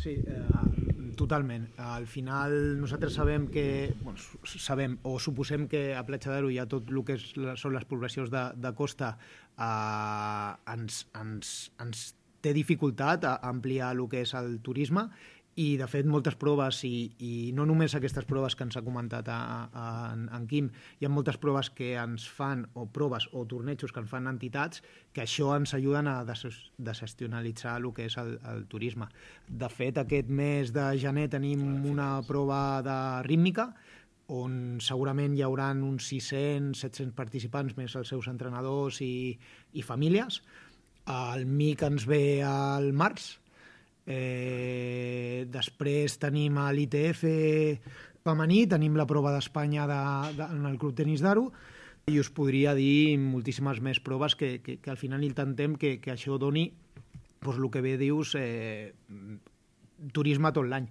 Sí, totalment. Al final nosaltres sabem que, o suposem que a Platja d'Aro hi ha tot el que són les poblacions de costa, ens té dificultat a ampliar el que és el turisme, i de fet moltes proves, i no només aquestes proves que ens ha comentat en Quim, hi ha moltes proves que ens fan, o proves o tornejos que ens fan entitats, que això ens ajuden a desestacionalitzar el que és el turisme. De fet, aquest mes de gener tenim una prova de rítmica, on segurament hi haurà uns 600-700 participants, més els seus entrenadors i famílies. El MIC ens ve al març. Després tenim a l'ITF femení, tenim la prova d'Espanya en el Club Tenis d'Aro, i us podria dir moltíssimes més proves que al final intentem que això doni, el que bé dius, turisme tot l'any.